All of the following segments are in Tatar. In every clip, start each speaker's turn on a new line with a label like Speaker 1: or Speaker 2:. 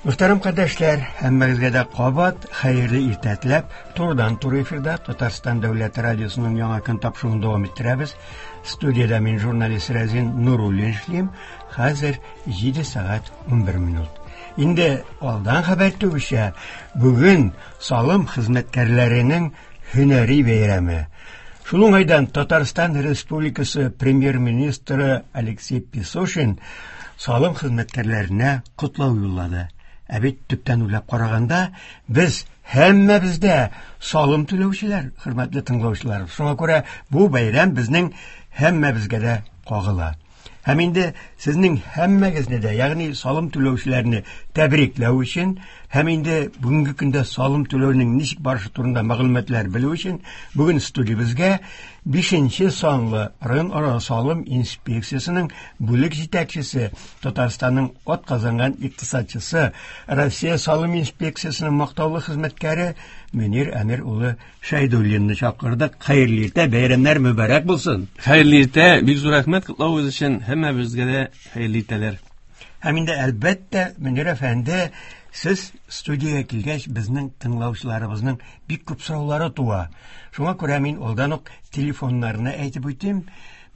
Speaker 1: Мөхтәрәм кардәшләр, һәммәгезгә дә кабат хәерле иртә теләп, турыдан-туры эфирда Татарстан дәүләт радиосының яңа көн тапшыруын дәвам иттерәбез. Студиядә мин журналист Рәзин Нуруллин эшлим. Хәзер 7 сәгать 11 минут. Инде алдан хәбәр итүебезчә, бүген салым хезмәткәрләренең һөнәри бәйрәме. Шул уңайдан Татарстан Республикасы премьер-министры Алексей Песошин салым хезмәткәрләренә котлау юллады. Ә бит төптән уйлап караганда, без һәммәбез дә салым түләүчеләр, хөрмәтле тыңлаучылар. Шуңа күрә бу бәйрәм безнең һәммәбезгә дә кагыла. Һәм инде сезнең һәммәгезне дә, ягъни салым түләүчеләрне тәбрикләү өчен һәм инде бүгенге көндә салым түләүнең ничек барышы турында мәгълүматлар белү өчен бүген студиябезгә 5 санлы районара салым инспекциясенең бүлек җитәкчесе, Татарстанның атказанган икътисадчысы, Россия салым инспекциясенең мактаулы хезмәткәре Мөнир Әмир улы Шәйдуллинны чакырдык. Хәерле иртә, бәйрәмнәр мөбарәк булсын.
Speaker 2: Хәерле иртә, бик зур рәхмәт котлавыгыз өчен. Һәммәбезгә дә хәерле иртәләр.
Speaker 1: Һәм инде әлбәттә, Мөнир әфәнде, сез студиягә килгәч, безнең тыңлаучыларыбызның бик күп сораулары туа. Шуңа күрә мин алдан ук телефоннарны әйтеп үтим.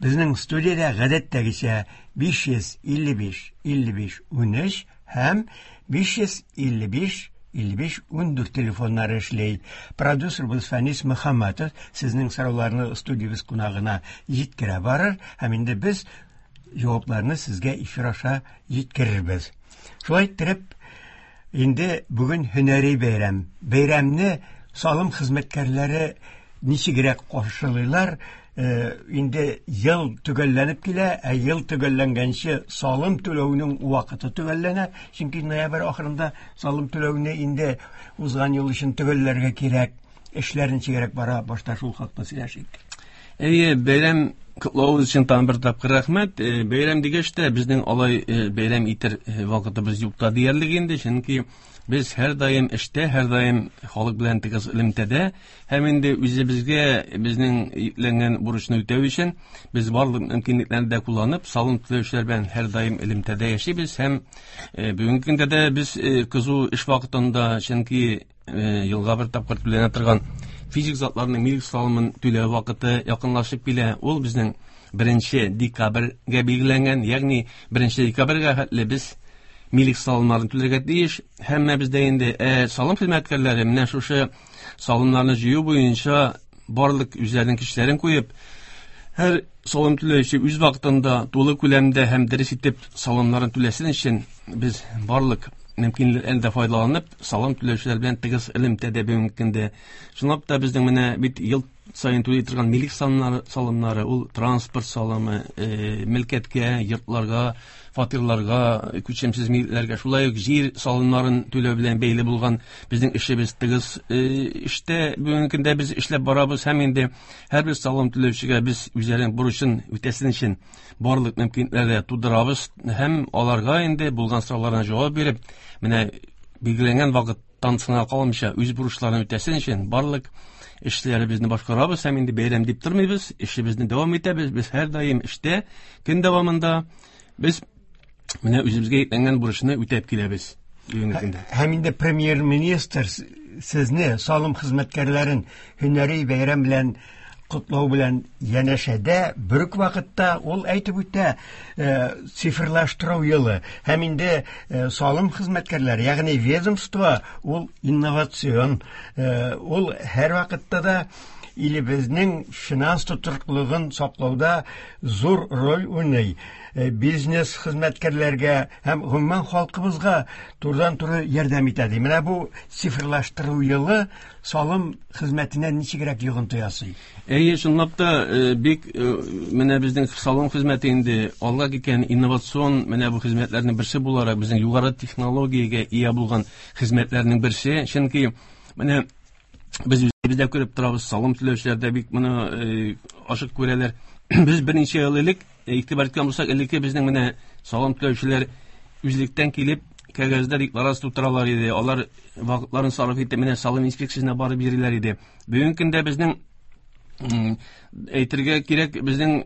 Speaker 1: Безнең студиядә гадәттәгечә 555 55 13 һәм 555 55 14 телефоннары эшли. Продюсерыбыз Фәнис Мөхәммәтов сезнең сорауларны студиябез кунагына җиткерә барыр һәм инде без җавапларны сезгә эфир аша җиткерербез. Шулай иттереп, инде бүген һөнәри бәйрәм. Бәйрәмне салым хезмәткәрләре ничегрәк каршылыйлар? Инде ел төгәлләнеп килә, ә ел төгәлләнгәнче салым түләүнең вакыты төгәлләнә, чөнки ноябрь ахырында салым түләүне инде узган ел өчен төгәлләргә кирәк. Эшләр ничегрәк бара, башта шул хакта сөйләшик.
Speaker 2: Әйе, бәйрәм котлавыгыз өчен тагын бер тапкыр рәхмәт. Бәйрәм дигәч тә, безнең алай бәйрәм итер вакытыбыз юк та диярлек инде, чөнки без һәрдаим эштә, һәрдаим халык белән тыгыз элемтәдә һәм инде үзебезгә безнең йөкләнгән бурычны үтәү өчен без барлык мөмкинлекләрне дә кулланып, салым түләүчеләр белән һәрдаим элемтәдә яшибез һәм бүгенге көндә дә без кызу эш вакытында, чөнки елга бер тапкыр түләнә торган физик затларның милек салымын түләү вакыты якынлашып килә. Ул безнең 1 декабрьгә билгеләнгән, ягъни 1 декабрьгә хәтле без милек салымнарын түләргә тиеш. Һәммәбез дә инде салым хезмәткәрләре менә шушы салымнарны җыю буенча барлык үзләренең көчләрен куеп, һәр салым түләүче үз вакытында тулы күләмдә һәм дөрес итеп салымнарын түләсен өчен без барлык мөмкинлекләрдән дә файдаланып, салым түләүчеләр белән тыгыз элемтәдә бүгенге көндә. Чынлап та безнең менә бит ел сайын түли торган милек салымнары, ул транспорт салымы, мөлкәткә, йортларга, фатирларга, күчемсез милекләргә, шулай ук җир салымнарын түләү белән бәйле булган безнең эшебез тыгыз эштә бүгенге көндә без эшләп барабыз һәм инде һәрбер салым түләүчегә без үзләренең бурычын үтәсен өчен барлык мөмкинлекләрне тудырабыз һәм аларга инде булган сорауларына җавап биреп, менә билгеләнгән вакыттан соңга калмыйча үз бурычларын үтәсен өчен барлык эшләребезне башкарабыз һәм инде бәйрәм дип тормыйбыз, эшебезне дәвам итәбез. Без һәрдаим эштә, көн дәвамында без менә үзебезгә йөкләнгән бурычны үтәп киләбез бүгенге көндә.
Speaker 1: Һәм инде премьер-министр сезне, салым хезмәткәрләрен һөнәри бәйрәм белән котлау белән янәшәдә бер үк вакытта ул әйтеп үтә, цифрлаштыру елы һәм инде салым хезмәткәрләре, ягъни ведомство, ул инновацион, ул һәр вакытта да илебезнең финанс тотрыклылыгын саклауда зур роль уйный. Бизнес хезмәткәрләргә һәм гомумән халкыбызга турыдан-туры ярдәм итә ди. Менә бу цифрлаштыру елы салым хезмәтенә ничегрәк йогынты ясый?
Speaker 2: Әйе, чынлап та, бик менә безнең салым хезмәте инде алга киткән инновацион менә бу хезмәтләрнең берсе буларак безнең югары технологиягә ия булган хезмәтләрнең берсе, чөнки менә без үзебез дә күреп торабыз, салым түләүчеләр дә бик моны ачык күрәләр. Без берничә ел элек игътибар иткән булсак, элекке безнең менә салым түләүчеләр үзлектән килеп кәгазьдә декларация тутыралар иде. Алар вакытларын сарыф итеп менә салым инспекциясенә барып йөриләр иде. Бүгенге көндә безнең Әйтергә кирәк, безнең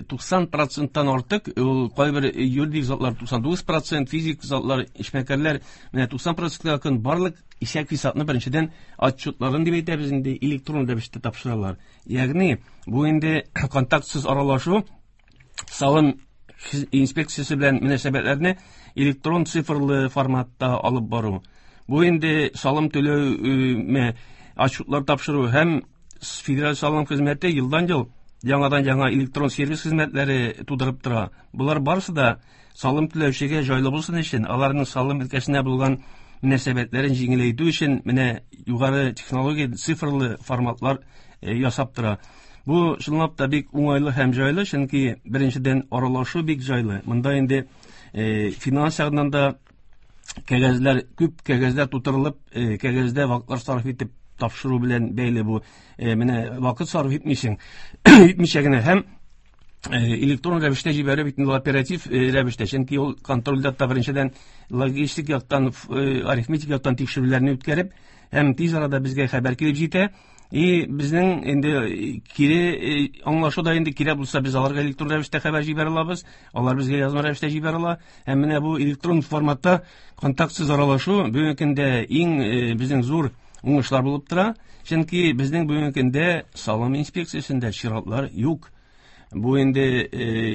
Speaker 2: 90%-тан артык, ул кайбер юридик затлар 99%, физик затлар, эшмәкәрләр менә 90%-ка якын барлык исәп-хисапны беренчедән отчетларын дип әйтәбез инде электрон рәвештә тапшыралар. Ягъни бу инде контактсыз аралашу, салым инспекциясе белән мөнәсәбәтләрне электрон цифрлы форматта алып бару. Бу инде салым түләү, отчетлар тапшыру һәм Федераль салым хезмәте елдан-ел яңадан-яңа электрон сервис хезмәтләре тудырып тора. Болар барысы да салым түләүчегә җайлы булсын өчен, аларның салым өлкәсенә булган мөнәсәбәтләрен җиңеләйтү өчен менә югары технология цифрлы форматлар ясап тора. Бу чынлап та бик уңайлы һәм җайлы, чөнки беренчедән аралашу бик җайлы. Монда инде финанс ягыннан да кәгазьләр күп кәгазьләр тутырылып, кәгазьдә вакытлар сарыф итеп тапшыру белән бәйле бу. Менә вакыт сарыф итмисең, итмичә генә һәм электрон рәвештә җибәрү бит инде оператив рәвештә, чөнки ул контрольдә та беренчедән логистик яктан, арифметик яктан тикшерүләрне үткәреп, һәм тиз арада безгә хәбәр килеп җитә. И безнең инде кире аңлашу да инде кирәк булса, без аларга электрон рәвештә хәбәр җибәрә алабыз, алар безгә язма рәвештә җибәрә ала. Һәм менә бу электрон форматта контактсыз аралашу бүгенге көндә иң безнең зур уңышлар булып тора. Чөнки безнең бүгенге көндә салым инспекциясендә чиратлар юк. Бу инде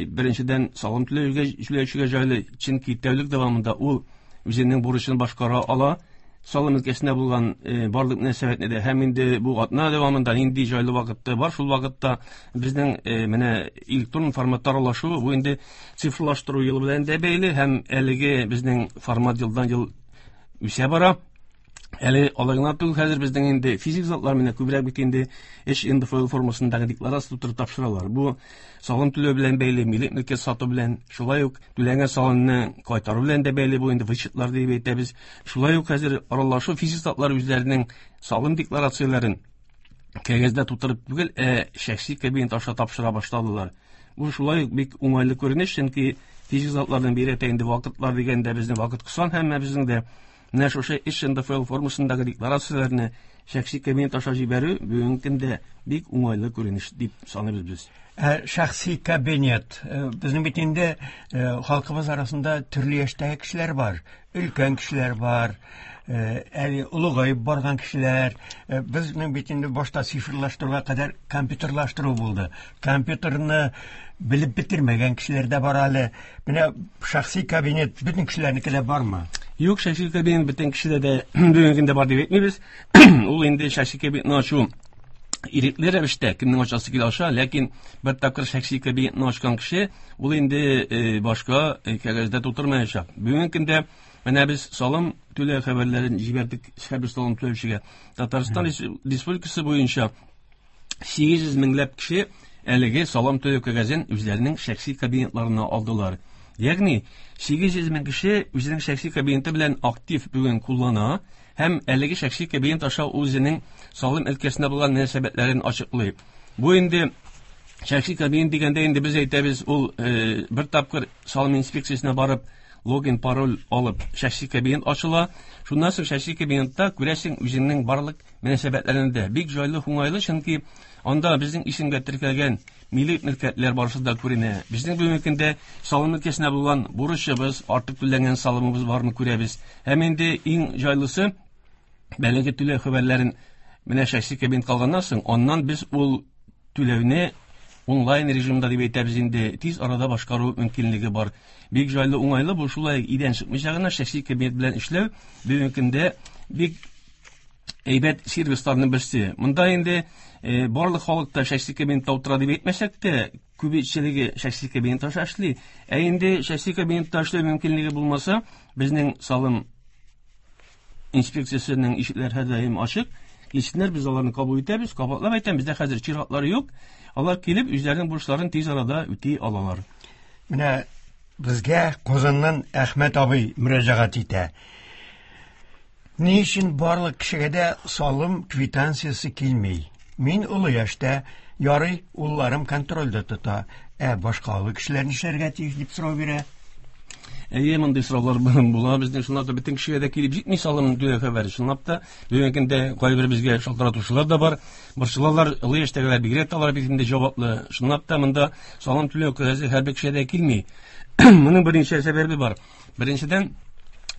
Speaker 2: беренчедән салым түләүчегә җайлы, чөнки тәүлек дәвамында ул үзенең бурычын башкара ала. Салым өлкәсендә булган барлык мөнәсәбәтне дә һәм инде бу атна дәвамында нинди җайлы вакытта бар, шул вакытта безнең менә электрон форматта аралашу бу инде цифрлаштыру юлы белән дә бәйле һәм әлеге безнең формат елдан-ел үсә бара. Әле алай гына түгел, хәзер безнең инде физик затлар менә күбрәк бит инде эш НДФЛ формасындагы декларация тутырып тапшыралар. Бу салым түләү белән бәйле, милек мөлкәт сату белән, шулай ук түләнгән салымны кайтару белән дә бәйле, бу инде вычетлар дип әйтәбез. Шулай ук хәзер аралашу физик затлар үзләренең салым декларацияләрен кәгазьдә тутырып түгел, ә шәхси кабинет аша тапшыра башладылар. Бу шулай ук бик уңайлы күренеш, чөнки физик затларның бигрәк тә инде вакытлар дигәндә безнең вакыт кысан һәм безнең дә менә шушы эш НДФЛ формасындагы декларацияләрне шәхси кабинет аша җибәрү бүгенге көндә бик уңайлы күренеш дип саныйбыз без.
Speaker 1: Шәхси кабинет. Безнең бит инде халкыбыз арасында төрле яшьтәге кешеләр бар, өлкән кешеләр бар, әле олыгаеп барган кешеләр. Безнең бит инде башта цифрлаштыруга кадәр компьютерлаштыру булды. Компьютерны белеп бетермәгән кешеләр дә бар әле. Менә шәхси кабинет бөтен кешеләрнеке дә бармы?
Speaker 2: Юк, шәхси кабинет бөтен кешедә дә бүгенге көндә бар дип әйтмибез. Ул инде шәхси кабинетны ачу ирекле рәвештә кемнең ачасы килә аша, ләкин бер тапкыр шәхси кабинетны ачкан кеше ул инде башка кәгазьдә тутырмаячак. Бүгенге көндә менә без салым түләү хәбәрләрен җибәрдек һәрбер салым түләүчегә. Татарстан Республикасы буенча 800 меңләп кеше әлеге салым түләү кәгазен үзләренең шәхси кабинетларына алдылар. Ягъни 800 мең кеше үзенең шәхси кабинеты белән актив бүген куллана һәм әлеге шәхси кабинет аша үзенең салым өлкәсендә булган мөнәсәбәтләрен ачыклый. Бу инде шәхси кабинет дигәндә инде без әйтәбез, ул бер тапкыр салым инспекциясенә барып логин, пароль алып шәхси кабинет ачыла. Шуннан соң шәхси кабинетта күрәсең үзеңнең барлык мөнәсәбәтләрен дә. Бик җайлы, уңайлы, чөнки анда безнең исемгә теркәлгән милек мөлкәтләр барысы да күренә. Безнең бүгенге көндә салым өлкәсенә булган бурычыбыз, артык түләнгән салымыбыз барны күрәбез. Һәм инде иң җайлысы, әлеге түләү хәбәрләрен менә шәхси кабинет алганнан соң, аннан без ул түләүне онлайн режимда дип әйтәбез инде, тиз арада башкару мөмкинлеге бар. Бик җайлы, уңайлы, бу шулай өйдән чыкмыйча гына шәхси кабинет белән эшләү бүгенге көндә бик әйбәт сервисларның берсе. Монда инде барлык халык та шәхси кабинетта утыра дип әйтмәсәк тә, күпчелеге шәхси кабинет аша эшли. Ә инде шәхси кабинетта эшләү мөмкинлеге булмаса, безнең салым инспекциясенең ишекләре һәрдаим ачык. Килсеннәр, без аларны кабул итәбез. Кабатлап әйтәм, бездә хәзер чиратлар юк. Алар килеп, үзләренең бурычларын тиз арада үти алалар.
Speaker 1: Менә безгә Казаннан Әхмәт абый мөрәҗәгать итә. Ни өчен барлык кешегә дә салым квитанциясе килми? Мин олы яшьтә, ярый, улларым контрольдә тота, ә башка олы кешеләр нишләргә тиеш дип сорау бирә.
Speaker 2: Әйе, мондый сораулар була безнең. Чынлап та бөтен кешегә дә килеп җитми салым түләү хәбәре. Чынлап та бүгенге көндә кайбер безгә шалтыратучылар да бар. Борчылалар, олы яшьтәгеләр бигрәк тә алар бит инде җаваплы. Чынлап та монда салым түләү кәгазе һәрбер кешегә дә килми. Моның берничә сәбәбе бар. Беренчедән,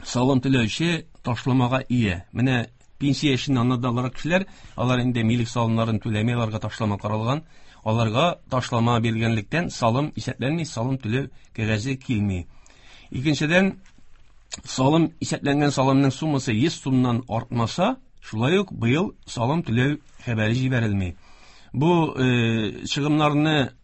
Speaker 2: салым түләүче ташламага ия. Менә пенсия яшеннән аннан кешеләр, алар инде милек салымнарын түләми, аларга ташлама каралган. Аларга ташлама бирелгәнлектән салым исәпләнми, салым түләү кәгазе килми. Икенчедән, салым исәпләнгән салымның суммасы 100 сумнан артмаса, шулай ук быел салым түләү хәбәре җибәрелми. Бу чыгымнарны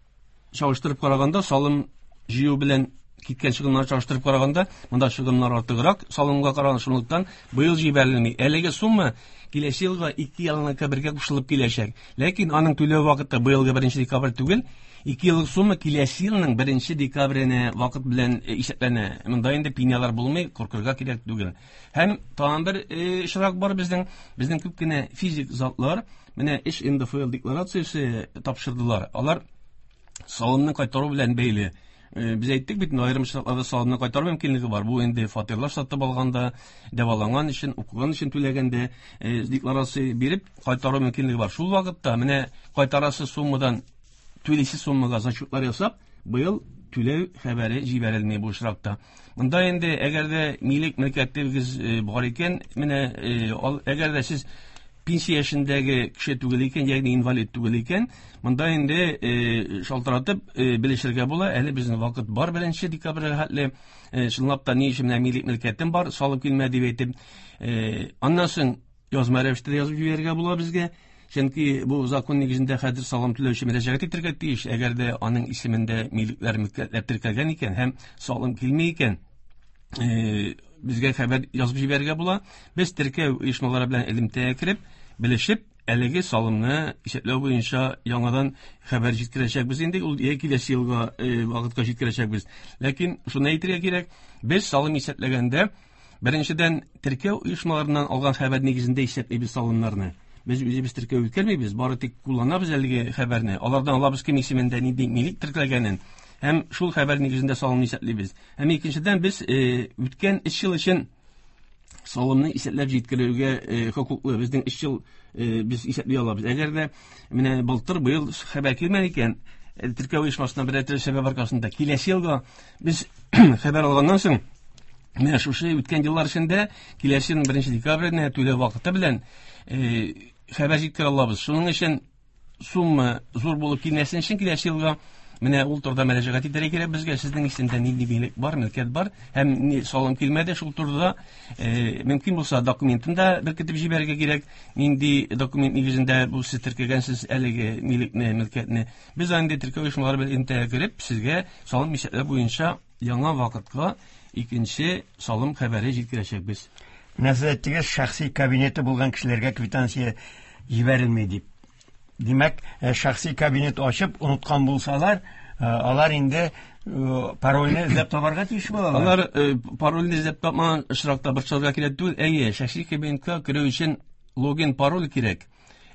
Speaker 2: чагыштырып караганда, салым җыю белән киткән чыгымнарны чагыштырып караганда, монда чыгымнар артыграк салымга караганда, шунлыктан быел җибәрелми. Әлеге сумма киләсе елга 2 елныкы бергә кушылып киләчәк. Ләкин аның түләү вакыты быелгы 1 декабрь түгел, 2 еллык сумма киләсе елның 1 декабренә вакыт белән исәпләнә. Монда инде пенялар булмый, куркырга кирәк түгел. Һәм тагын бер очрак бар безнең. Безнең күп кенә физик затлар менә эш НДФЛ декларациясе тапшырдылар. Алар салымны кайтару белән бәйле. Без әйттек бит, аерым очракларда салымны кайтару мөмкинлеге бар. Бу инде фатирлар сатып алганда, дәваланган өчен, укыган өчен түләгәндә декларация биреп кайтару мөмкинлеге бар. Шул вакытта менә кайтарасы суммадан түлисе суммага зачетлар ясап, быел түләү хәбәре җибәрелми бу очракта. Монда инде әгәр дә милек мөлкәтегез бар икән, менә әгәр дә сез пенсия яшендәге кеше түгел икән, ягъни инвалид түгел икән, монда инде шалтыратып белешергә була. Әле безнең вакыт бар 1 декабрьгә хәтле. Чынлап та ни өчен менә милек мөлкәтем бар, салым килмә дип әйтеп, аннан соң язма рәвештә язып җибәрергә була безгә. Чөнки бу закон нигезендә хәзер салым түләүче мөрәҗәгать итәргә тиеш. Әгәр дә аның исемендә милекләр, мөлкәтләр теркәлгән икән һәм салым килми икән, безгә хәбәр язып җибәрергә була. Без теркәү оешмалары белән элемтәгә кереп, белешеп, әлеге салымны исәпләү буенча яңадан хәбәр җиткерәчәкбез инде, ул я киләсе елга вакытка җиткерәчәкбез. Ләкин шуны әйтергә кирәк, без салым исәпләгәндә беренчедән теркәү оешмаларыннан алган хәбәр нигезендә исәплибез салымнарны. Без үзебез теркәү үткәрмибез, бары тик кулланабыз әлеге хәбәрне. Алардан алабыз кем исемендә нинди милек теркәлгәнен һәм шул хәбәр нигезендә салымны исәплибез. Һәм икенчедән без үткән 3 ел өчен салымны исәпләп җиткерүгә хокуклы. Безнең 3 ел без исәпли алабыз. Әгәр дә менә былтыр, быел хәбәр килмәгән икән, теркәү оешмасына берәр төрле сәбәп аркасында киләсе елга без хәбәр алганнан соң менә шушы үткән еллар эчендә киләсе елның 1 декабренә түләү вакыты белән хәбәр җиткерә алабыз. Шуның өчен сумма зур булып килмәсен өчен киләсе елга менә ул турыда мөрәҗәгать итәргә кирәк безгә. Сезнең исемдә нинди милек бар, мөлкәт бар һәм ни салым килмәде, шул турыда мөмкин булса документын да беркетеп җибәрергә кирәк. Нинди документ нигезендә бу сез теркәгәнсез әлеге милекне, мөлкәтне. Без инде теркәү оешмалары белән элемтәгә кереп, сезгә салым исәпләү буенча яңа вакытка икенче салым хәбәре җиткерәчәкбез.
Speaker 1: Менә сез әйттегез, шәхси кабинеты булган кешеләргә квитанция җибәрелми дип. Димәк, шәхси кабинет ачып оныткан булсалар, алар инде парольне эзләп табарга тиеш булалар.
Speaker 2: Алар парольне эзләп тапмаган очракта борчылырга кирәк түгел. Әйе, шәхси кабинетка керү өчен логин, пароль кирәк.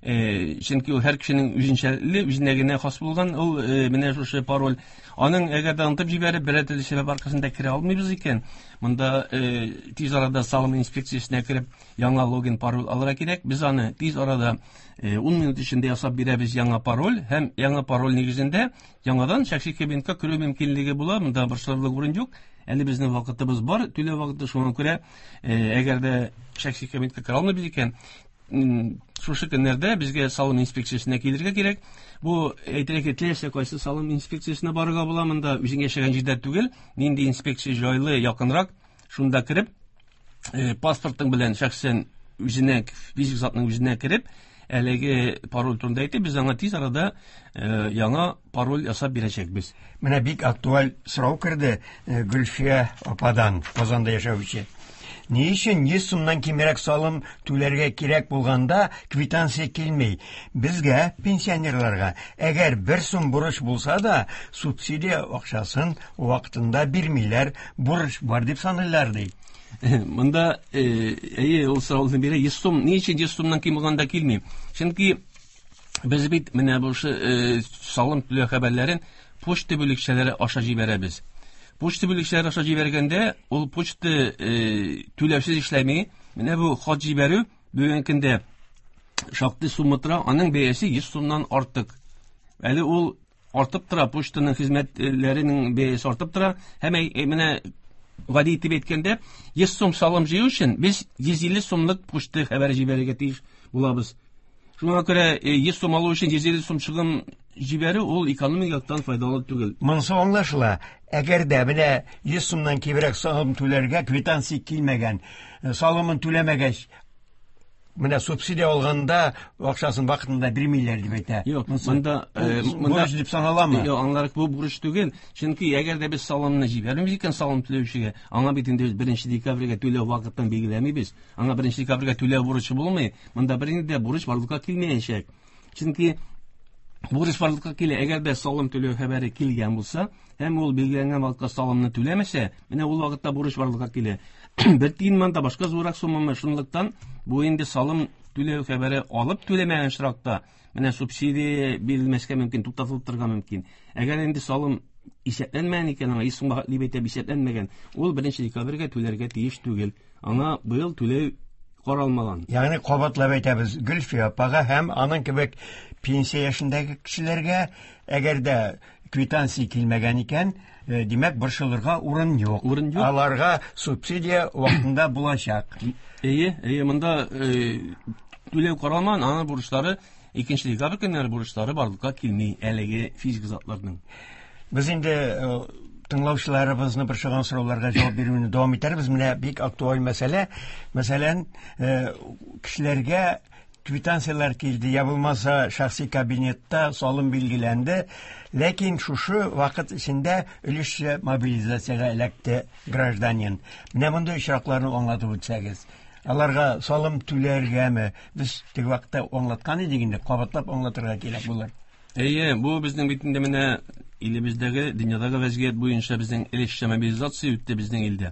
Speaker 2: Чөнки ул һәр кешенең үзенчәлекле, үзенә генә хас булган ул менә шушы пароль. Аның әгәр дә онытып җибәреп, берәр төрле сәбәп аркасында керә алмыйбыз икән, монда тиз арада салым инспекциясенә кереп, яңа логин, пароль алырга кирәк. Без аны тиз арада 10 минут эчендә ясап бирәбез яңа пароль һәм яңа пароль нигезендә яңадан шәхси кабинетка керү мөмкинлеге була. Монда борчылырлык урын юк. Әле безнең вакытыбыз бар, түләү вакыты, шуңа күрә, әгәр дә шәхси кабинетка керә алмыйбыз икән, шушы көннәрдә безгә салым инспекциясенә килергә кирәк. Бу әйтергә теләсә кайсы салым инспекциясенә барырга була, монда үзең яшәгән җирдә түгел, нинди инспекция җайлы, якынрак, шунда кереп, паспортың белән шәхсән үзенә, физик затның үзенә кереп, әлеге пароль турында әйтеп, без аңа тиз арада яңа пароль ясап бирәчәкбез.
Speaker 1: Менә бик актуаль сорау керде Гөлфия ападан, Казанда яшәүче. Ни өчен 100 сумнан кимрәк салым түләргә кирәк булганда квитанция килми? Безгә, пенсионерларга, әгәр 1 сум бурыч булса да, субсидия акчасын вакытында бирмиләр, бурыч бар дип саныйлар, ди.
Speaker 2: Монда, әйе, ул сорауны бирә. 100 сум, ни өчен 100 сумнан ким булганда килми? Чөнки без бит менә бу салым түләү хәбәрләрен почта бүлекчәләре аша җибәрәбез. Почта бүлекчәләре аша җибәргәндә, ул почта түләүсез эшләми. Менә бу хат җибәрү бүгенге көндә шактый сумма тора, аның бәясе 100 сумнан артык. Әле ул артып тора, почтаның хезмәтләренең бәясе артып тора. Һәм менә гади итеп әйткәндә, 100 сум салым җыю өчен без 150 сумлык почта хәбәре җибәрергә тиеш булабыз. Шуңа күрә 100 сум алу өчен 150 сум чыгым җибәрү ул экономик яктан файдалы түгел.
Speaker 1: Монысы аңлашыла. Әгәр дә менә 100 сумнан кимрәк салым түләргә квитанция килмәгән, салымын түләмәгәч, менә субсидия алганда акчасын вакытында бирмиләр дип әйтә.
Speaker 2: Юк, монда
Speaker 1: бурыч дип саналамы?
Speaker 2: Юк, аңларык, бу бурыч түгел. Чөнки әгәр дә без салымны җибәрмибез икән салым түләүчегә, аңа бит инде без 1 декабрьгә түләү вакытын билгеләмибез. Аңа 1 декабрьгә түләү бурычы булмый. Монда бернинди дә бурыч барлыкка килмәячәк. Чөнки бурыч барлыкка килә, әгәр дә салым түләү хәбәре килгән булса, һәм ул билгеләнгән вакытка салымны түләмәсә, менә ул вакытта бурыч барлыкка килә. Бер тиен монда башка зуррак суммамы, шунлыктан бу инде салым түләү хәбәре алып түләмәгән очракта, менә субсидия бирелмәскә мөмкин, туктатылып торырга мөмкин. Әгәр инде салым исәпләнмәгән икән, аңа 100 сумга дип әйтеп исәпләнмәгән, ул 1 декабрьгә түләргә тиеш түгел. Аңа быел түләү каралмаган.
Speaker 1: Ягъни кабатлап әйтәбез, Гөлфия апага һәм аның кебек пенсия яшендәге кешеләргә, әгәр дә квитанция килмәгән икән, димәк, борчылырга урын юк.
Speaker 2: Урын юк.
Speaker 1: Аларга субсидия вакытында булачак.
Speaker 2: Әйе, әйе, монда түләү каралмаган, аның бурычлары 2 декабрь көннәре бурычлары барлыкка килми әлеге физик затларның.
Speaker 1: Без инде тыңлаучыларыбызны борчыган сорауларга җавап бирүне дәвам итәрбез. Менә бик актуаль мәсьәлә. Мәсәлән, кешеләргә квитанцияләр килде, я булмаса шәхси кабинетта салым билгеләнде, ләкин шушы вакыт эчендә өлешчә мобилизациягә эләкте гражданин. Менә мондый очракларны аңлатып үтсәгез. Аларга салым түләргәме? Без теге вакытта аңлаткан идек инде, кабатлап аңлатырга кирәк булыр.
Speaker 2: Әйе, бу безнең бит инде менә илебездәге, дөньядагы вәзгыять буенча безнең өлешчә мобилизация үтте безнең илдә.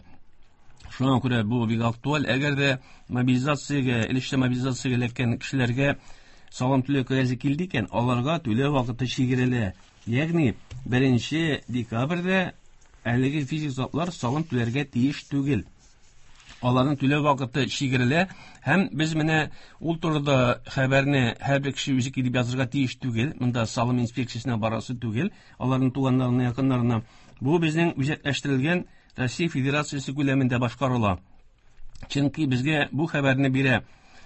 Speaker 2: Шуңа күрә бу бик актуаль. Әгәр дә мобилизациягә, өлешчә мобилизациягә эләккән кешеләргә салым түләү кәгазе килде икән, аларга түләү вакыты чигерелә. Ягъни 1 декабрьдә әлеге физик затлар салым түләргә тиеш түгел. Аларның түләү вакыты чигерелә һәм без менә ул турыда хәбәрне һәрбер кеше үзе килеп язырга тиеш түгел. Монда салым инспекциясенә барасы түгел, аларның туганнарына, якыннарына. Бу безнең үзәкләштерелгән Россия Федерациясе күләмендә башкарыла. Чөнки безгә бу хәбәрне бирә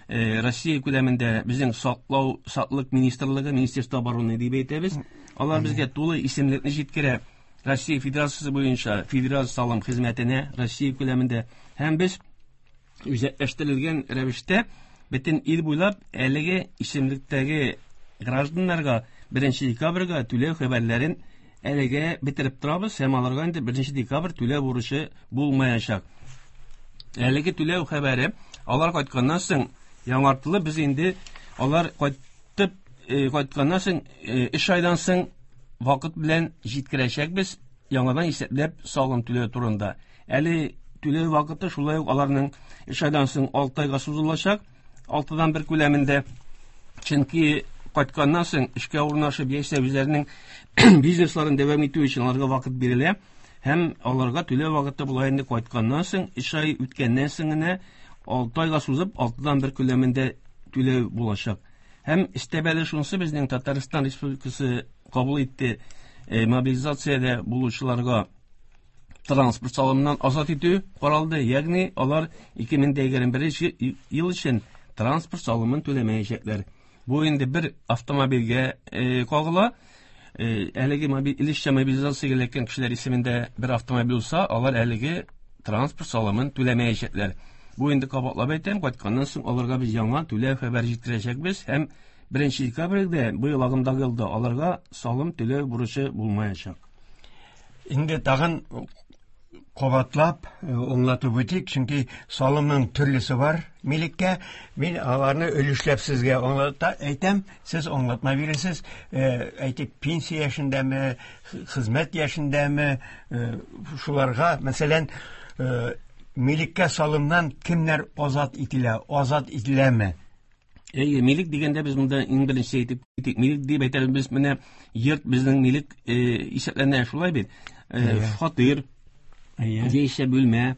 Speaker 2: Россия күләмендә безнең саклау, саклык министрлыгы, Министерство обороны дип әйтәбез. Алар безгә тулы исемлекне җиткерә. Россия Федерациясе буенча федераль салым хезмәтенә Россия күләмендә һәм без үзәкләштерелгән рәвештә бөтен ил буйлап әлеге исемлектәге гражданнарга 1 декабрьгә түләү хәбәрләрен әлегә бетереп торабыз һәм аларга инде 1 декабрь түләү бурычы булмаячак. Әлеге түләү хәбәре алар кайтканнан соң яңартылып, без инде алар кайтып, кайтканнан соң, 3 айдан соң вакыт белән җиткерәчәкбез яңадан исәпләп салым түләү турында. Әле түләү вакыты шулай ук аларның 3 айдан соң 6 айга сузылачак, 6-дан 1 күләмендә. Чөнки кайтканнан соң эшкә урнашып яисә үзләренең бизнесларын дәвам итү өчен аларга вакыт бирелә һәм аларга түләү вакыты болай инде кайтканнан соң 3 ай үткәннән соң генә 6 айга сузып 6-дан 1 күләмендә түләү булачак. Һәм өстәмәле шунысы, безнең Татарстан Республикасы кабул итте, мобилизациядә булучыларга транспорт салымыннан азат итү каралды. Ягъни алар 2021 ел өчен транспорт салымын түләмәячәкләр. Бу инде бер автомобильгә кагыла. Әлеге өлешчә мобилизациягә эләккән кешеләр исемендә бер автомобиль булса, алар әлеге транспорт салымын түләмәячәкләр. Бу инде кабатлап әйтәм, кайтканнан соң аларга без яңа түләү хәбәр җиткерәчәкбез һәм 1 декабрьдә быел агымдагы елда аларга салым түләү бурычы булмаячак.
Speaker 1: Инде тагын кабатлап аңлатып үтик, чөнки салымның төрлесе бар милеккә. Мин аларны өлешләп сезгә аңлата әйтәм, сез аңлатма бирәсез. Әйтик, пенсия яшендәме, хезмәт яшендәме, шуларга, мәсәлән, милеккә салымнан кемнәр азат ителә, азат ителәме?
Speaker 2: Әйе, милек дигәндә без монда иң беренче әйтеп китик. Милек дип әйтәбез без менә йорт безнең милек исәпләнә, шулай бит. Фатир, Яисә бүлмә,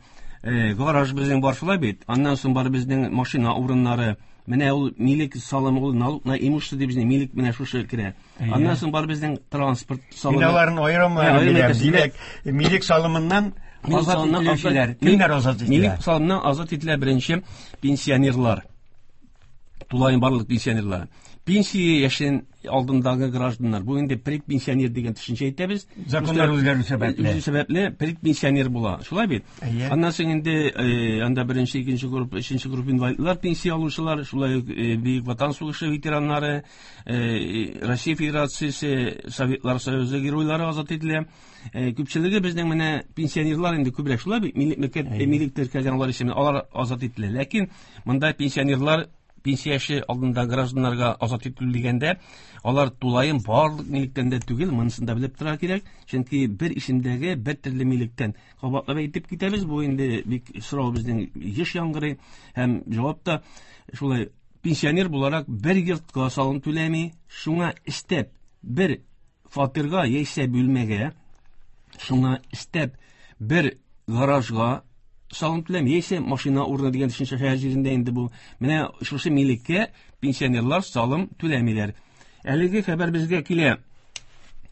Speaker 2: гараж безнең бар шулай бит. Аннан соң бар безнең машина урыннары. Менә ул милек салымы, ул налог на имущество дип безнең милек менә шушы керә. Аннан соң бар безнең транспорт салымы.
Speaker 1: Мин аларны аерым беләм. Димәк, милек салымыннан азат ителүчеләр. Кемнәр азат ителә?
Speaker 2: Милек салымыннан азат ителә беренче пенсионерлар. Тулаем барлык пенсионерлар. Пенсия яшен алдындагы гражданнар. Бу инде предпенсионер дигән төшенчә әйтәбез.
Speaker 1: Законнар үзгәрү сәбәпле.
Speaker 2: Үзгәрү сәбәпле предпенсионер була. Шулай бит? Аннан соң инде анда беренче, икенче группа, өченче группа инвалидлар, пенсия алучылар, шулай ук Бөек Ватан сугышы ветераннары, Россия Федерациясе, Советлар Союзы геройлары азат ителә. Күпчелеге безнең менә пенсионерлар инде күбрәк шулай бит, милек теркәлгән алар исеменә, алар азат ителә. Ләкин монда пенсионерлар пенсия яше алдында гражданнарга азат ителү дигәндә, алар тулаем барлык милектән дә түгел, монысын да белеп торырга кирәк, чөнки бер исемдәге бер төрле милектән. Кабатлап әйтеп китәбез, бу инде бик сорау безнең еш яңгырый һәм җавап та шулай. Пенсионер буларак бер йортка салым түләми, шуңа өстәп бер фатирга яисә бүлмәгә, шуңа өстәп бер гаражга салым түләми, яисә машина урыны дигән төшенчә шәһәр җирендә инде бу. Менә шушы милеккә пенсионерлар салым түләмиләр. Әлеге хәбәр безгә килә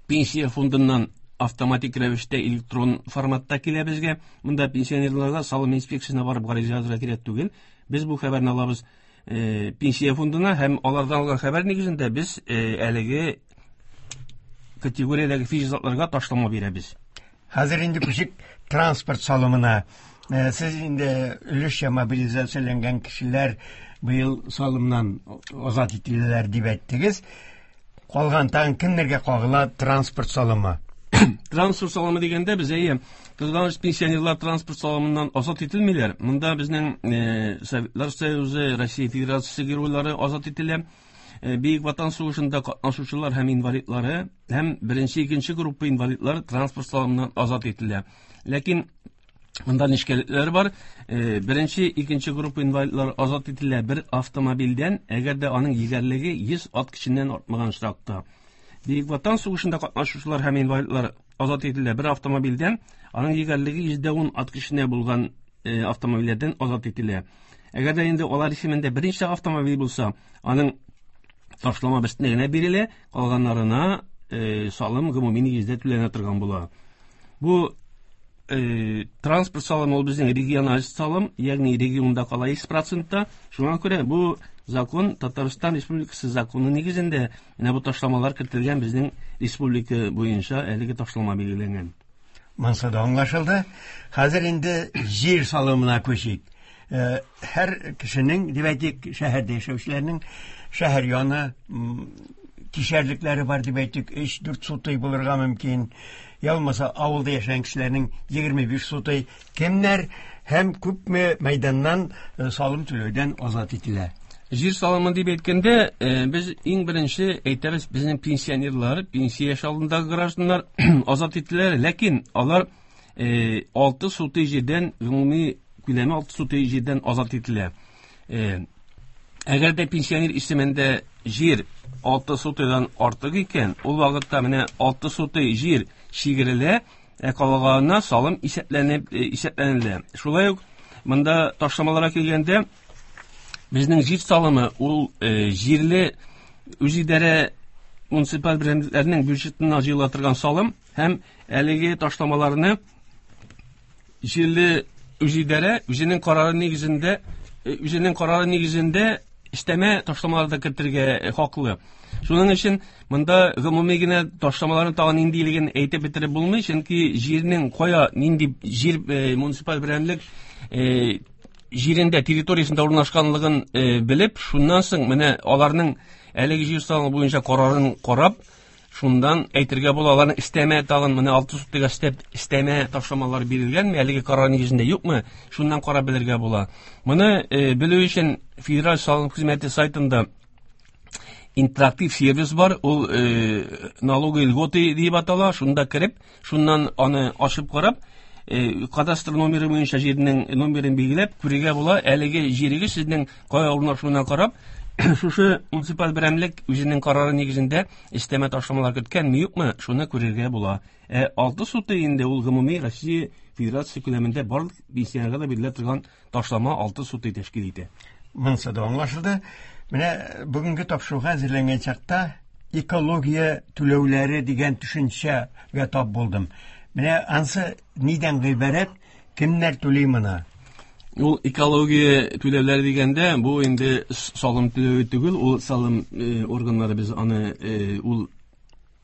Speaker 2: пенсия фондыннан автоматик рәвештә электрон форматта килә безгә. Монда пенсионерларга салым инспекциясенә барып гариза язырга кирәк түгел. Без бу хәбәрне алабыз пенсия фондына һәм алардан алган хәбәр нигезендә без әлеге категориядәге физик затларга ташлама бирәбез.
Speaker 1: Хәзер инде күчик транспорт салымына. Сез инде өлешчә мобилизацияләнгән кешеләр быел салымнан азат ителәләр дип әйттегез. Калган тагын кемнәргә кагыла транспорт салымы?
Speaker 2: Транспорт салымы дигәндә без әйе, кызганыч, пенсионерлар транспорт салымыннан азат ителмиләр. Монда безнең Советлар Союзы, Россия Федерациясе геройлары азат ителә. Бөек Ватан сугышында катнашучылар һәм инвалидлары һәм беренче, икенче группа инвалидлар транспорт салымыннан азат ителә. Ләкин монда нечкәлекләр бар. Беренче, икенче группа инвалидлар азат ителә бер автомобильдән, әгәр дә аның егәрлеге 100 ат көченнән артмаган очракта. Бөек Ватан сугышында катнашучылар һәм инвалидлар азат ителә бер автомобильдән, аның егәрлеге 110 ат көченә булган автомобильләрдән азат ителә. Әгәр дә инде алар исемендә берничә автомобиль булса, аның ташлама берсенә генә бирелә, калганнарына салым гомуми нигездә түләнә торган була. Бу транспорт салымы ул безнең региональ салым, ягъни регионда кала 100%. Шуңа күрә бу закон Татарстан Республикасы законы нигезендә менә бу ташламалар кертелгән, безнең республика буенча әлеге ташлама билгеләнгән.
Speaker 1: Монысы да аңлашылды. Хәзер инде җир салымына күчик. Һәр кешенең, дип әйтик, шәһәрдә яшәүчеләрнең шәһәр яны кишәрлекләре бар дип әйтик, 3-4 сутый булырга мөмкин. Я булмаса авылда яшәгән кешеләрнең 25 сутый. Кемнәр һәм күпме мәйданнан салым түләүдән азат ителә?
Speaker 2: Җир салымы дип әйткәндә, без иң беренче әйтәбез, безнең пенсионерлар, пенсия яше алдындагы гражданнар азат ителәләр, ләкин алар 6 сутый җирдән, гомуми күләме 6 сутый җирдән азат ителә. Әгәр дә пенсионер исемендә җир 6 сутыйдан артык икән, ул вакытта менә 6 сутый җир чигерелә, ә калганына салым исәпләнелә. Шулай ук монда ташламаларга килгәндә, безнең җир салымы ул җирле үзидарә муниципаль берәмлекләрнең бюджетына җыела торган салым һәм әлеге ташламаларны җирле үзидарә үзенең карары нигезендә, үзенең карары нигезендә өстәмә ташламалар да кертергә хаклы. Шуның өчен монда гомуми генә ташламаларның тагын ниндилеген әйтеп бетереп булмый, чөнки җирнең кая, нинди җир муниципаль берәмлек җирендә, территориясендә урнашканлыгын белеп, шуннан соң менә аларның әлеге җир салымы буенча карарын карап, шуннан әйтергә була, аларның өстәмә тагын менә 6 сутыйга өстәмә ташламалар бирелгәнме, әлеге карар нигезендә юкмы, шуннан карап белергә була. Моны белү өчен Федераль салым хезмәте сайтында интерактив сервис бар, ул налоговые льготы дип атала, шунда кереп, шуннан аны ачып карап, кадастр номеры буенча җирнең номерын билгеләп, күрергә була, әлеге җирегез сезнең кая урнашуына карап, Шушы муниципаль берәмлек үзенең карары нигезендә өстәмә ташламалар керткәнме, юкмы, шуны күрергә була. Ә 6 сутый инде ул гомуми Россия Федерациясе күләмендә барлык пенсионерга да бирелә торган ташлама 6 сутый тәшкил итә.
Speaker 1: Монысы да аңлашылды. Менә бүгенге тапшыруга әзерләнгән чакта экология түләүләре дигән төшенчәгә тап булдым. Менә ансы нидән гыйбарәт, кемнәр түли моны?
Speaker 2: Ул экология түләүләре дигәндә, бу инде салым түләве түгел, ул салым органнары без аны ул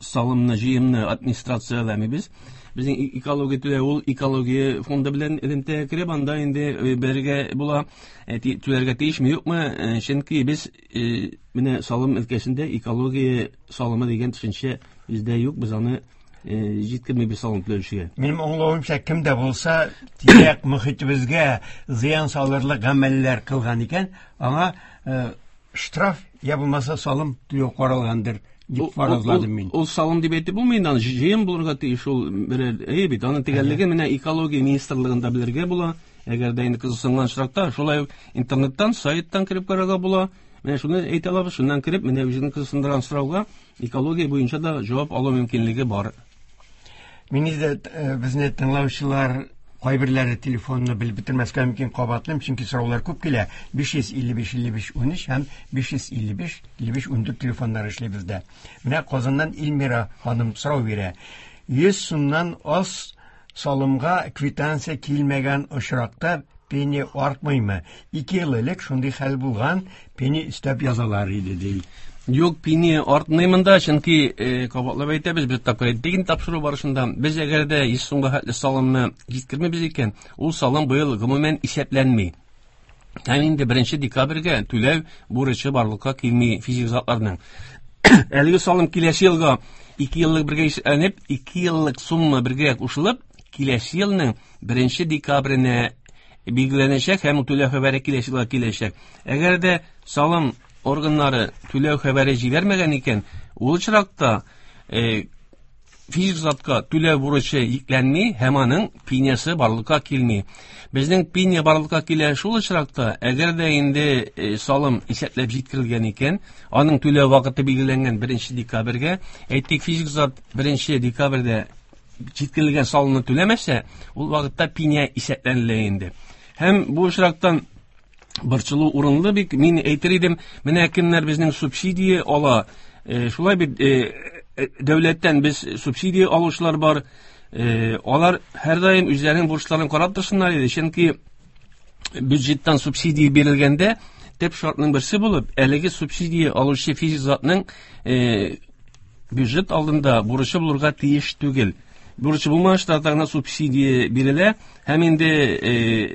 Speaker 2: салымны, җыемны администрацияләмибез. Безнең экология түләү ул экология фонды белән элемтәгә кереп, анда инде бергә була, түләргә тиешме, юкмы? Чөнки без менә салым өлкәсендә экология салымы дигән төшенчә бездә юк, без аны җиткермибез салым түләүчегә.
Speaker 1: Минем аңлавымча, кем дә булса тирә-як мөхитебезгә зыян салырлык гамәлләр кылган икән, аңа штраф я булмаса салым түләү каралгандыр дип фаразладым мин.
Speaker 2: Ул салым дип әйтеп булмый инде, аны җыем булырга тиеш ул берәр. Әйе бит, аның төгәллеге менә экология министрлыгында белергә була. Әгәр дә инде кызыксынган очракта, шулай ук интернеттан, сайттан кереп карарга була. Менә шуны әйтә алабыз, шуннан кереп, менә үзеңне кызыксындырган сорауга экология буенча да җавап алу мөмкинлеге бар.
Speaker 1: Мин инде безне тыңлаучылар кайберләре телефонны белеп бетермәскә мөмкин, кабатлыйм, чөнки сораулар күп килә. 555 55 13 һәм 555 55 14 телефоннары эшли бездә. Менә Казаннан Эльмира ханым сорау бирә. 100 сумнан аз салымга квитанция килмәгән очракта пени артмыймы? 2 ел элек шундый хәл булган, пени өстәп язалар иде, ди.
Speaker 2: Юк, пени артмый монда, чөнки кабатлап әйтәбез, без тапкыр әйттек инде тапшыру барышында. Без әгәр дә 100 сумга хәтле салымны җиткермибез икән, ул салым быел гомумән исәпләнми. Һәм инде 1 декабрьгә түләү бурычы барлыкка килми физик затларның. Әлеге салым киләсе елга 2 еллык бергә исәпләнеп, 2 еллык сумма бергә кушылып, киләсе елның 1 декабренә билгеләнәчәк һәм түләү хәбәре киләсе елга киләчәк. Әгәр дә салым органнары түләү хәбәре җибәрмәгән икән, ул очракта физик затка түләү бурычы йөкләнми һәм аның пенясы барлыкка килми. Безнең пеня барлыкка килә шул очракта, әгәр дә инде салым исәпләп җиткерелгән икән, аның түләү вакыты билгеләнгән 1 декабрьгә, әйтик, физик зат 1 декабрьдә җиткерелгән салымны түләмәсә, ул вакытта пеня исәпләнелә инде. Һәм бу очрактан борчылу урынлы бик. Мин әйтер идем, менә кемнәр безнең субсидия ала, шулай бит, дәүләттән без субсидия алучылар бар, алар һәрдаим үзләренең бурычларын карап торсыннар иде, чөнки бюджеттан субсидия бирелгәндә төп шартның берсе булып, әлеге субсидия алучы физик затның бюджет алдында бурычы булырга тиеш түгел. Бурычы булмаган очракта гына субсидия бирелә, һәм инде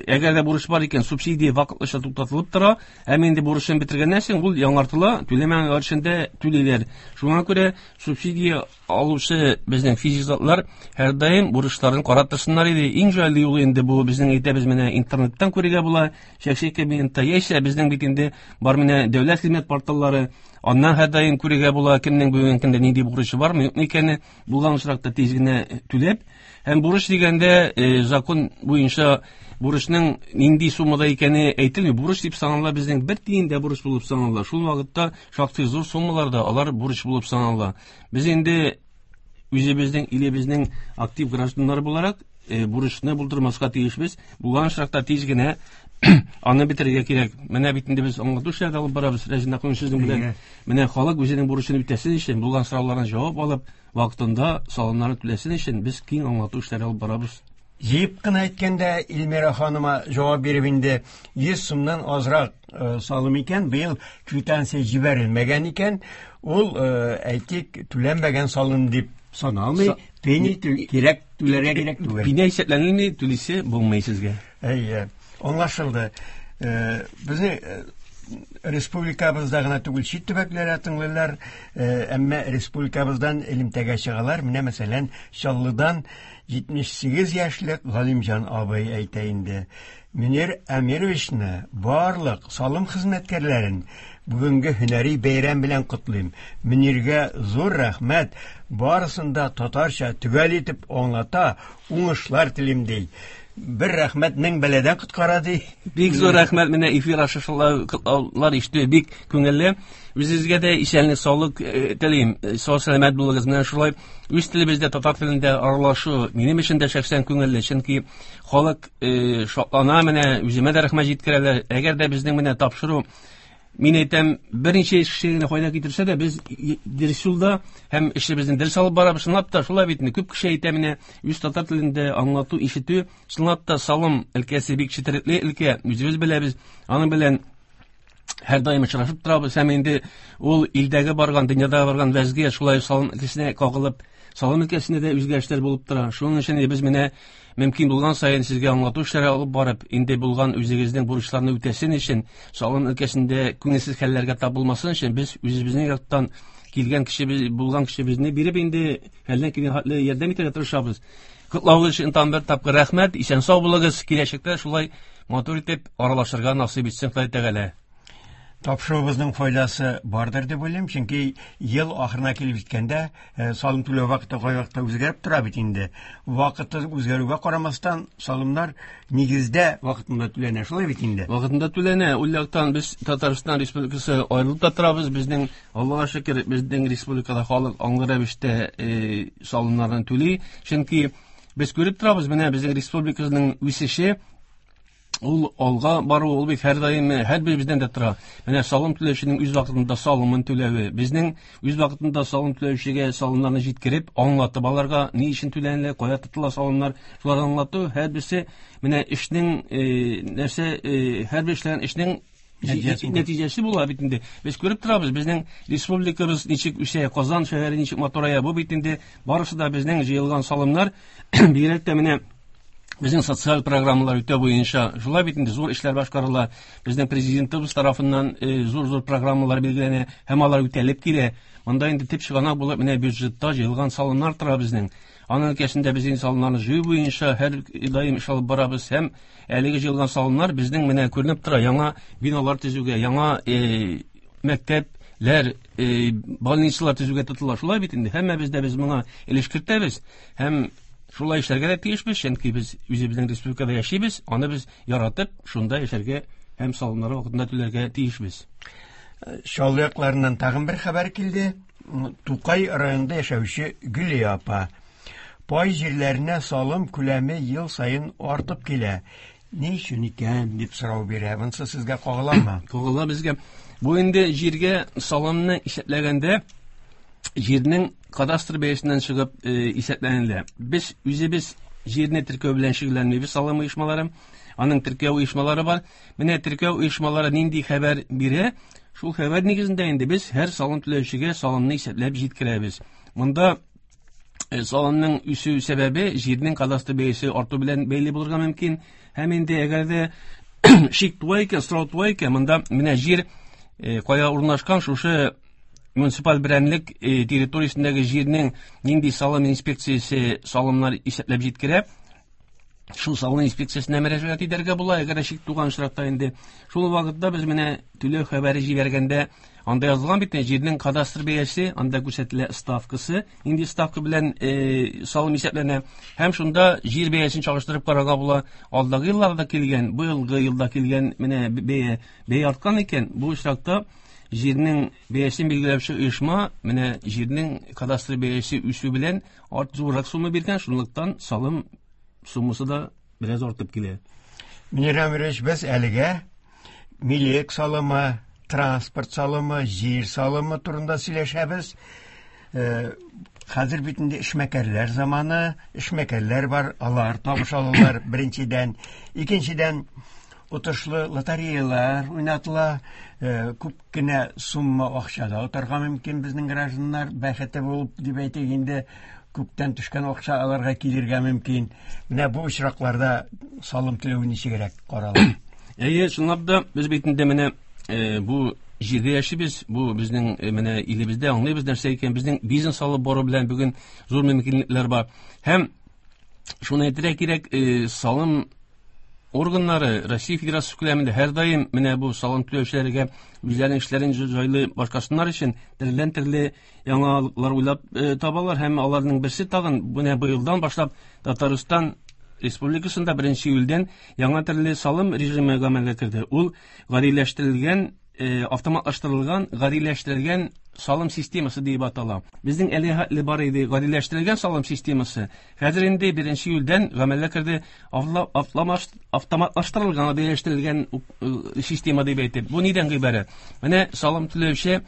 Speaker 2: әгәр дә бурыч бар икән, субсидия вакытлыча туктатылып тора, һәм инде бурычын бетергәннән соң ул яңартыла, түләмәгән өчен дә түлиләр. Шуңа күрә субсидия алучы безнең физик затлар һәрдаим бурычларын карап торсыннар иде. Иң җайлы юлы инде бу безнең әйтәбез, менә интернеттан күрергә була, шәхси кабинетта, яисә безнең бит инде бар менә дәүләт хезмәт порталлары, аннан һәрдаим күрергә була, кемнең бүгенге көндә нинди бурычы бармы, юкмы икәне, булган очракта тиз генә түләп. Һәм бурыч дигәндә, закон буенча бурычның нинди суммада икәне әйтелми. Бурыч дип санала безнең бер тиен дә бурыч булып санала. Шул вакытта шактый зур суммаларда алар бурыч булып санала. Без инде үзебезнең илебезнең актив гражданнары буларак, бурычны булдырмаска тиешбез. Булган очракта тиз генә аны бетерергә кирәк. Менә бит инде без аңлату эшләре алып барабыз, Рәзин Акун сезнең белән. Менә халык үзенең бурычын үтәсен өчен, булган сорауларына җавап алып, вакытында салымнарын түләсен өчен без киң аңлату эшләре алып барабыз.
Speaker 1: Җыеп кына әйткәндә, Эльмира ханыма җавап биреп инде, 100 сумнан азрак салым икән, быел квитанция җибәрелмәгән икән, ул, әйтик, түләнмәгән салым дип саналмый, пени кирәк, түләргә кирәк түгел.
Speaker 2: Пеня исәпләнелми, түлисе булмый сезгә.
Speaker 1: Әйе, аңлашылды. Безнең республикабызда гына түгел, чит төбәкләрдә тыңлыйлар, әмма республикабыздан элемтәгә чыгалар. Менә мәсәлән, Чаллыдан 78 яшьлек Галимҗан абый әйтә инде. Мөнир Әмировичны, барлык салым хезмәткәрләрен бүгенге һөнәри бәйрәм белән котлыйм. Мөниргә зур рәхмәт, барысын да татарча төгәл итеп аңлата, уңышлар телим, ди. Бер рәхмәт мең бәладән коткара ди.
Speaker 2: Бик зур рәхмәт, менә эфир аша шулай котлаулар ишетү бик күңелле. Үзегезгә дә исәнлек, саулык телим. Сау сәламәт булыгыз. Менә шулай үз телебездә, татар телендә аралашу минем өчен дә шәхсән күңелле, чөнки халык шатлана, менә үземә дә рәхмәт җиткерәләр. Әгәр дә безнең менә тапшыру, мин әйтәм, берничә кешегә генә файда китерсә дә, без дөрес юлда һәм эшебезне дөрес алып барабыз. Чынлап та шулай бит инде. Күп кеше әйтә, менә үз татар телендә аңлату, ишетү, чынлап та салым өлкәсе бик четерекле өлкә, үзебез беләбез. Аның белән һәрдаим очрашып торабыз һәм инде ул илдәге барган, дөньяда барган вәзгыять шулай салым өлкәсенә кагылып, салым өлкәсендә дә үзгәрешләр булып тора. Шуның өчен без менә мөмкин булган саен сезгә аңлату эшләре алып барып, инде булган үзегезнең бурычларны үтәсен өчен, салым өлкәсендә күңелсез хәлләргә тап булмасын өчен без үзебезнең яктан килгән кешебез, булган кешебезне биреп инде хәлдән килгән хәтле ярдәм итәргә тырышабыз. Котлавыгыз өчен тагын бер тапкыр рәхмәт, исән сау булыгыз, киләчәктә шулай матур итеп аралашырга насыйп итсен Ходай Тәгалә.
Speaker 1: Тапшыруыбызның файдасы бардыр дип уйлыйм, чөнки ел ахырына килеп җиткәндә, салым түләү вакыты кайвакытта үзгәреп тора бит инде. Вакыты үзгәрүгә карамастан, салымнар нигездә вакытында түләнә, шулай бит инде.
Speaker 2: Вакытында түләнә. Ул яктан без Татарстан Республикасы аерылып та торабыз. Безнең, Аллага шөкер, безнең республикада халык аңлы рәвештә салымнарны түли. Чөнки без күреп торабыз, менә безнең республикабызның үсеше, ул алга бару, ул бит һәрдаим һәрберебездән дә тора. Менә салым түләүченең үз вакытында салымын түләве, безнең үз вакытында салым түләүчегә салымнарны җиткереп, аңлатып аларга ни өчен түләнелә, кая тотыла салымнар, шуларны аңлату, һәрберсе менә эшнең, нәрсә, һәрбер эшләгән эшнең нәтиҗәсе була бит инде. Без күреп торабыз, безнең республикабыз ничек үсә, Казан шәһәре ничек матурая, бу бит инде барысы да безнең җыелган салымнар. Бигрәк тә менә безнең социаль программалар үтә буенча шулай бит инде зур эшләр башкарыла. Безнең президентыбыз тарафыннан зур-зур программалар билгеләнә һәм алар үтәлеп килә. Монда инде төп чыганак булып менә бюджетта җыелган салымнар тора безнең. Аның өлкәсендә без инде салымнарны җыю буенча һәр даим эш алып барабыз һәм әлеге җыелган салымнар безнең менә күренеп тора, яңа биналар төзүгә, яңа мәктәпләр, больницалар төзүгә тотыла. Шулай бит инде, һәммәбез дә без моңа өлеш кертәбез һәм шулай эшләргә дә тиешбез, чөнки без үзебезнең республикада яшибез, аны без яратып, шунда яшәргә һәм салымнар вакытында түләргә тиешбез.
Speaker 1: Чаллы якларыннан тагын бер хәбәр килде. Тукай районында яшәүче Гөлия апа. Пай җирләренә салым күләме ел саен артып килә. Ни өчен икән дип сорау бирә. Монысы сезгә кагыламы?
Speaker 2: Кагыла безгә. Бу инде җиргә салымны исәпләгәндә җирнең кадастр бәясеннән чыгып исәпләнелә. Без үзебез җирне теркәү белән шөгыльләнмибез, салым оешмалары. Аның теркәү оешмалары бар. Менә теркәү оешмалары нинди хәбәр бирә, шул хәбәр нигезендә инде без һәр салым түләүчегә салымны исәпләп җиткерәбез. Монда салымның үсү сәбәбе җирнең кадастр бәясе арту белән бәйле булырга мөмкин. Һәм инде әгәр дә шик туа икән, сорау туа икән, монда менә җир кая урнашкан, шушы муниципаль берәмлек территориясендәге җирнең нинди салым инспекциясе салымнар исәпләп җиткерә, шул салым инспекциясенә мөрәҗәгать итәргә була. Әгәр шик туган очракта инде шул вакытта без менә түләү хәбәре җибәргәндә анда язылган бит җирнең кадастр бәясе, анда күрсәтелә ставкасы, нинди ставка белән салым исәпләнә, һәм шунда җир бәясен чагыштырып карарга була. Алдагы елларда килгән, бу елгы елда килгән менә бәя арткан икән, бу очракта җирнең бәясен билгеләүче оешма менә җирнең кадастр бәясе үсү белән зуррак сумма биргән, шунлыктан салым суммасы да бераз артып килә.
Speaker 1: Мөнир Әмирович, без әлегә милек салымы, транспорт салымы, җир салымы турында сөйләшәбез. Хәзер бит инде эшмәкәрләр заманы, эшмәкәрләр бар, алар табыш алалар беренчедән. Икенчедән, отышлы лотереялар уйнатыла, күп кенә сумма акча да отарга мөмкин безнең гражданнар, бәхете булып дип әйтик инде, күптән төшкән акча аларга килергә мөмкин. Менә бу очракларда салым түләү ничегрәк карала?
Speaker 2: Әйе, чынлап да без бит инде менә бу җирдә яшибез, бу безнең менә илебездә аңлыйбыз нәрсә икән, безнең бизнес алып бару белән бүген зур мөмкинлекләр бар. Һәм шуны әйтергә кирәк, салым органнары Россия Федерациясе күләмендә һәрдаим менә бу салым түләүчеләргә үзләренең эшләрен җайлы башкарсыннар өчен төрледән-төрле яңалыклар уйлап табалар, һәм аларның берсе тагын менә быелдан башлап Татарстан Республикасында 1 июльдән яңа төрле салым режимы гамәлгә керде. Ул гадиләштерелгән, автоматлаштырылган, гадиләштерелгән салым системасы дип атала. Безнең әле хәтле бар иде гадиләштерелгән салым системасы. Хәзер инде 1 июльдән гамәлгә керде автоматлаштырылган, гадиләштерелгән система дип әйтеп. Бу нидән гыйбарәт? Менә салым түләүче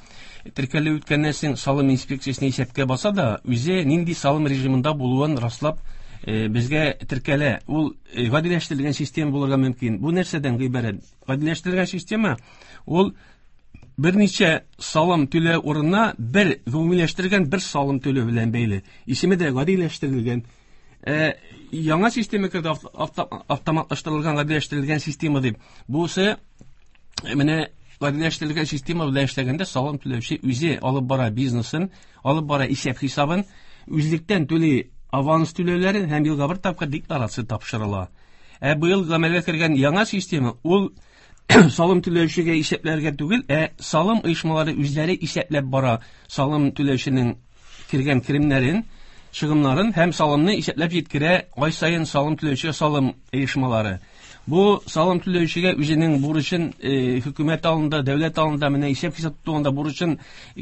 Speaker 2: теркәлү үткәннән соң салым инспекциясенә исәпкә баса да, үзе нинди салым режимында булуын раслап, безгә теркәлә. Ул гадиләштерелгән система булырга мөмкин. Бу нәрсәдән гыйбарәт? Гадиләштерелгән система ул берничә салым түләү урынына бер гомумиләштерелгән бер салым түләү белән бәйле. Исеме дә гадиләштерелгән. Яңа система керде, автоматлаштырылган, гадиләштерелгән система дип. Бусы менә гадиләштерелгән система белән эшләгәндә салым түләүче үзе алып бара бизнесын, алып бара исәп-хисабын, үзлектән түли аванс түләүләрен һәм елга бер тапкыр декларация тапшырыла. Ә быел гамәлгә кергән яңа система ул салым түләүчегә исәпләргә түгел, ә салым оешмалары үзләре исәпләп бара салым түләүченең кергән керемнәрен, чыгымнарын һәм салымны исәпләп җиткерә ай саен салым түләүчегә салым оешмалары. Бу салым түләүчегә үзенең бурычын хөкүмәт алдында, дәүләт алдында менә исәп-хисап тотуында бурычын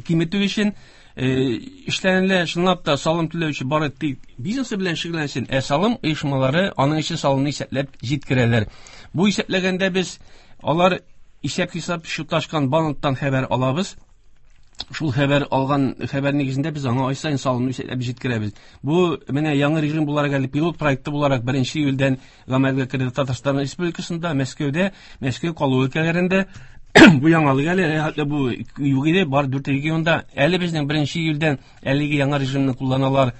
Speaker 2: киметү өчен эшләнелә. Чынлап та салым түләүче бары тик бизнесы белән шөгыльләнсен, ә салым оешмалары аның өчен салымны исәпләп җиткерәләр. Бу исәпләгәндә без алар исәп-хисап счеты ачкан банктан хәбәр алабыз. Шул хәбәр алган хәбәр нигезендә без аңа ай саен салымны исәпләп җиткерәбез. Бу менә яңа режим буларак әле пилот проекты буларак 1 июльдән гамәлгә керде Татарстан Республикасында, Мәскәүдә, Мәскәү калу өлкәләрендә. Бу яңалык әле, хәтта бу юк иде, бар 4 регионда. Әле безнең 1 июльдән әлеге яңа режимны кулланалар,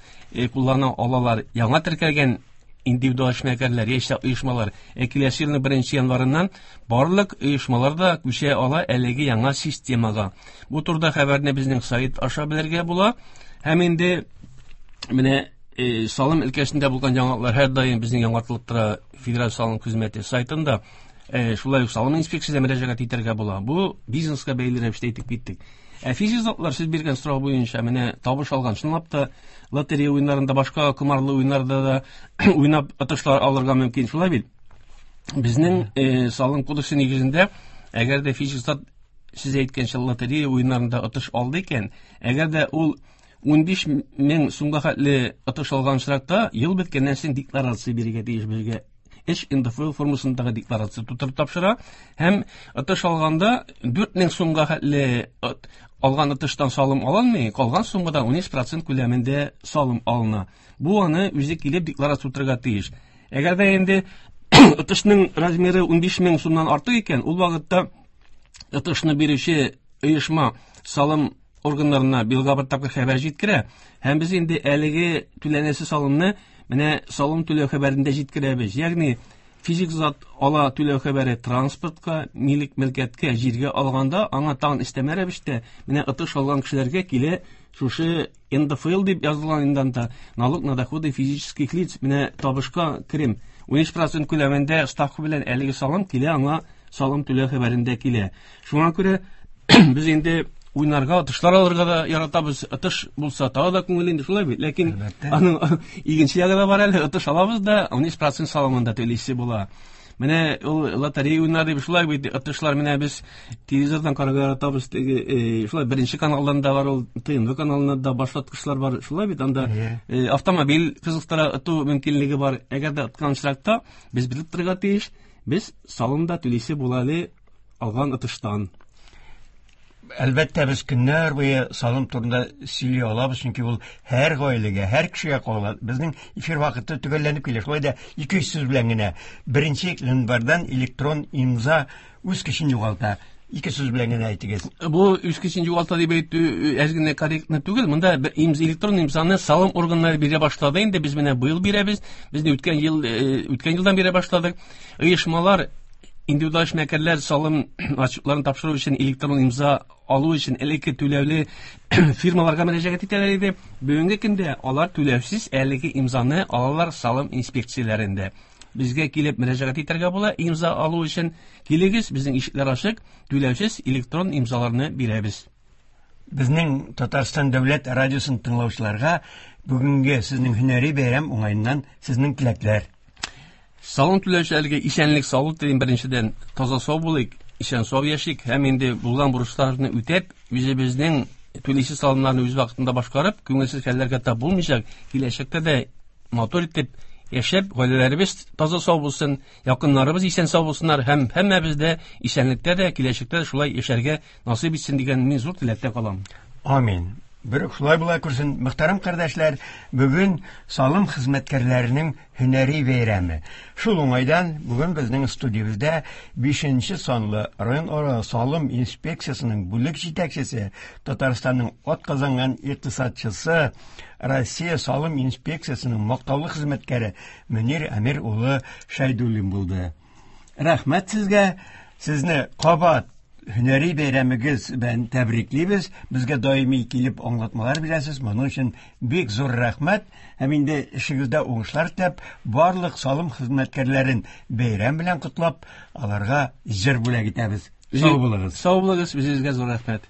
Speaker 2: куллана алалар. Яңа теркәлгән индивидуаль эшмәкәрләр, яисә оешмалар. Киләсе елның 1 январыннан барлык оешмалар да күчә ала әлеге яңа системага. Бу турыда хәбәрне безнең сайт аша белергә була. Һәм инде менә салым өлкәсендә булган яңалыклар һәрдаим безнең яңартылып тора Федераль салым хезмәте сайтында. Шулай ук салым инспекциясенә мөрәҗәгать итәргә була. Бу бизнеска бәйле рәвештә әйтеп киттек. Ә физик затлар сез биргән сорау буенча менә табыш алган, чынлап та лотерея уеннарында, башка комарлы уеннарда да уйнап отышлар алырга мөмкин, шулай бит? Безнең салым кодексы нигезендә, әгәр дә физик зат сез әйткәнчә лотерея уеннарында отыш алды икән, әгәр дә ул 15 мең сумга хәтле отыш алган очракта, ел беткәннән соң декларация бирергә тиеш безгә. Эш НДФЛ формасындагы декларация тутырып тапшыра һәм отыш алганда 4 мең сумга хәтле алган отыштан салым алынмый, калган суммадан 13% күләмендә салым алына. Бу аны үзе килеп декларация тутырырга тиеш. Әгәр дә инде отышның размеры 15 мең сумнан артык икән, ул вакытта отышны бирүче оешма салым органнарына елга бер тапкыр хәбәр җиткерә һәм без инде әлеге түләнәсе салымны менә салым түләү хәбәрендә җиткерәбез. Ягъни физик зат ала түләү хәбәре транспортка, милек мөлкәткә, җиргә алганда аңа тагын өстәмә рәвештә менә отыш алган кешеләргә килә шушы НДФЛ дип язылган инде анда, налог на доходы физических лиц, менә табышка керем 13% күләмендә ставка белән әлеге салым килә аңа салым түләү хәбәрендә килә. Шуңа күрә без инде уйнарга, отышлар алырга да яратабыз. Отыш булса тагы да күңел инде, шулай бит. Ләкин аның икенче ягы да бар әле. Отыш алабыз да 13% салымын да түлисе була. Менә ул лотерея уйнар дип шулай бит, отышлар менә без телевизордан карарга яратабыз. Теге, шулай беренче каналдан да бар ул, ТНВ каналында да башлаткычлар бар. Шулай бит, анда автомобиль кызыктыра оту мөмкинлеге бар. Әгәр дә откан очракта без белеп торырга тиеш, без салым да түлисе була әле алган отыштан.
Speaker 1: Әлбәттә, без көннәр буе салым турында сөйли алабыз, чөнки ул һәр гаиләгә, һәр кешегә кагыла. Безнең эфир вакыты төгәлләнеп килә. Шулай да 200 сүз белән генә. 1 январьдан электрон имза үз көчен югалта. 2 сүз белән генә әйтегез.
Speaker 2: Бу үз көчен югалта дип әйтү әз генә корректно түгел. Монда бер электрон имзаны салым органнары бирә башлады. Инде без менә быел бирәбез. Без үткән елдан бирә башладык. Оешмалар, индивидуаль эшмәкәрләр салым отчетларын тапшыру өчен электрон имза алу өчен элекке түләүле фирмаларга мөрәҗәгать итәләр иде. Бүгенге көндә алар түләүсез әлеге имзаны алалар салым инспекцияләрендә. Безгә килеп мөрәҗәгать итәргә була имза алу өчен. Килегез, безнең ишекләр ачык, түләүсез электрон имзаларны бирәбез.
Speaker 1: Безнең Татарстан дәүләт радиосын тыңлаучыларга бүгенге сезнең һөнәри бәйрәм уңаеннан сезнең теләкләр.
Speaker 2: Салым түләүчеләргә исәнлек, саулык телим беренчедән. Таза сау булыйк, исән сау яшик һәм инде булган бурычларны үтәп, үзебезнең түлисе салымнарны үз вакытында башкарып, күңелсез хәлләргә тап булмыйча, киләчәктә дә матур итеп яшәп, гаиләләребез таза сау булсын, якыннарыбыз исән сау булсыннар һәм һәммәбез дә исәнлектә дә, киләчәктә дә шулай яшәргә насыйп итсен дигән мин зур теләктә калам.
Speaker 1: Амин. Бер шулай була күрсен. Мөхтәрәм кардәшләр, бүген салым хезмәткәрләренең һөнәри бәйрәме. Шул уңайдан бүген безнең студиябездә 5 санлы районара салым инспекциясенең бүлек җитәкчесе, Татарстанның атказанган икътисадчысы, Россия салым инспекциясенең мактаулы хезмәткәре Мөнир Әмир улы Шәйдуллин булды. Рәхмәт сезгә. Сезне кабат һөнәри бәйрәмегез белән тәбриклибез. Безгә даими килеп аңлатмалар бирәсез. Моның өчен бик зур рәхмәт. Һәм инде эшегездә уңышлар теләп, барлык салым хезмәткәрләрен бәйрәм белән котлап, аларга җыр бүләк итәбез. Сау булыгыз.
Speaker 2: Сау булыгыз, үзегезгә зур рәхмәт.